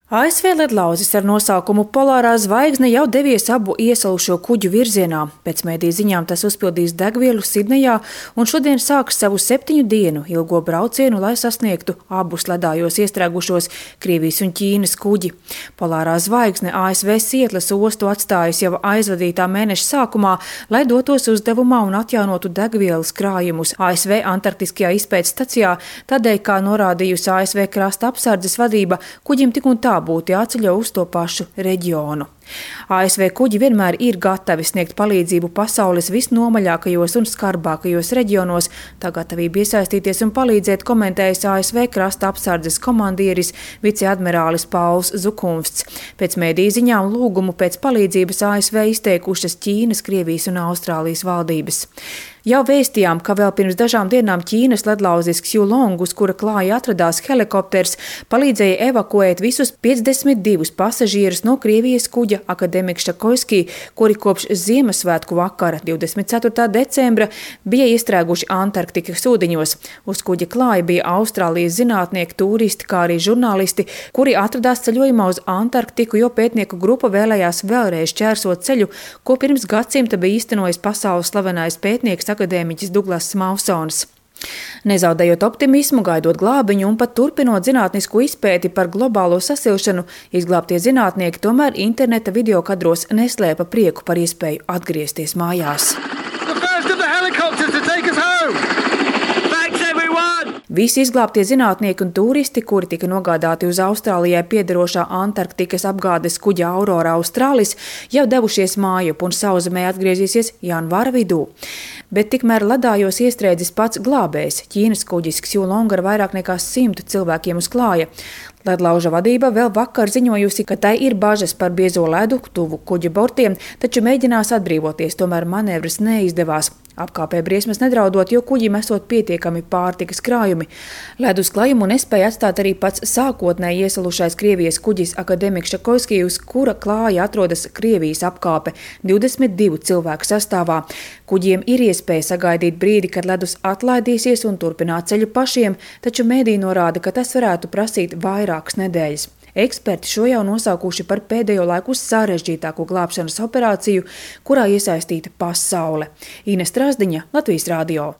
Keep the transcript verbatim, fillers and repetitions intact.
A S V ledlauzis ar nosaukumu Polārā zvaigzne jau devies abu iesalušo kuģu virzienā. Pēc mediju ziņām tas uzpildīs degvielu Sidnejā un šodien sāks savu septiņu dienu ilgo braucienu, lai sasniegtu abus ledājos iestrēgušos Krievijas un Ķīnas kuģi. Polārā zvaigzne A S V Sietlas ostu atstājusi jau aizvadītā mēneša sākumā, lai dotos uzdevumā un atjaunotu degvielas krājumus A S V Antarktiskajā izpētes stacijā, tādēļ, kā norādījusi A S V krasta apsardzes vadība, kuģim tik un tā būtu jāceļo uz to pašu reģionu. A S V kuģi vienmēr ir gatavi sniegt palīdzību pasaules visnomaļākajos un skarbākajos reģionos. Tā gatavība iesaistīties un palīdzēt komentējis A S V krasta apsardzes komandieris viceadmirālis Pauls Zukunfts. Pēc mediju ziņām lūgumu pēc palīdzības A S V izteikušas Ķīnas, Krievijas un Austrālijas valdības. Jau vēstījām, ka vēl pirms dažām dienām Ķīnas ledlauzis Xiulong, uz kura klāja atradās helikopters, palīdzēja evakuēt visus piecdesmit divus pasažierus no Krievijas kuģa Akademiks Šakoiski, kuri kopš Ziemassvētku vakara divdesmit ceturtā decembra bija iestrēguši Antarktikas ūdeņos. Uz kuģa klāja bija Austrālijas zinātnieki, turisti, kā arī žurnālisti, kuri atradās ceļojumā uz Antarktiku, jo pētnieku grupa vēlējās vēlreiz čērsot ceļu, ko pirms gadsimta bija īstenojis pasaules slavenais pētnieks akadēmiķis Duglass Mawsons. Nezaudējot optimismu, gaidot glābiņu un pat turpinot zinātnisku izpēti par globālo sasilšanu, izglābtie zinātnieki tomēr interneta videokadros neslēpa prieku par iespēju atgriezties mājās. Visi izglābtie zinātnieki un turisti, kuri tika nogādāti uz Austrālijai piederošā Antarktikas apgādes kuģa Aurora Australis, jau devušies mājup un sauszemē atgriezīsies janvāra vidū. Bet tikmēr ledājos iestrēdzis pats glābējs, Ķīnas kuģis Xiulong ar vairāk nekā simtu cilvēkiem uz klāja. Ledlauža vadība vēl vakar ziņojusi, ka tai ir bažas par biezo ledu tuvu kuģa bortiem, taču mēģinās atbrīvoties, tomēr manevras neizdevās. Apkāpē briesmas nedraudot, jo kuģim esot pietiekami pārtikas krājumi. Ledus klajumu nespēja atstāt arī pats sākotnēji iesalušais Krievijas kuģis Akademiks Šakoiski, uz kura klāja atrodas Krievijas apkāpe divdesmit divu cilvēku sastāvā. Kuģiem ir iespēja sagaidīt brīdi, kad ledus atlaidīsies un turpināt ceļu pašiem, taču mediji norāda, ka tas varētu prasīt vairākas nedēļas. Eksperti šo jau nosaukuši par pēdējo laiku sarežģītāko glābšanas operāciju, kurā iesaistīta pasaule. Ines Trasdiņa, Latvijas radio.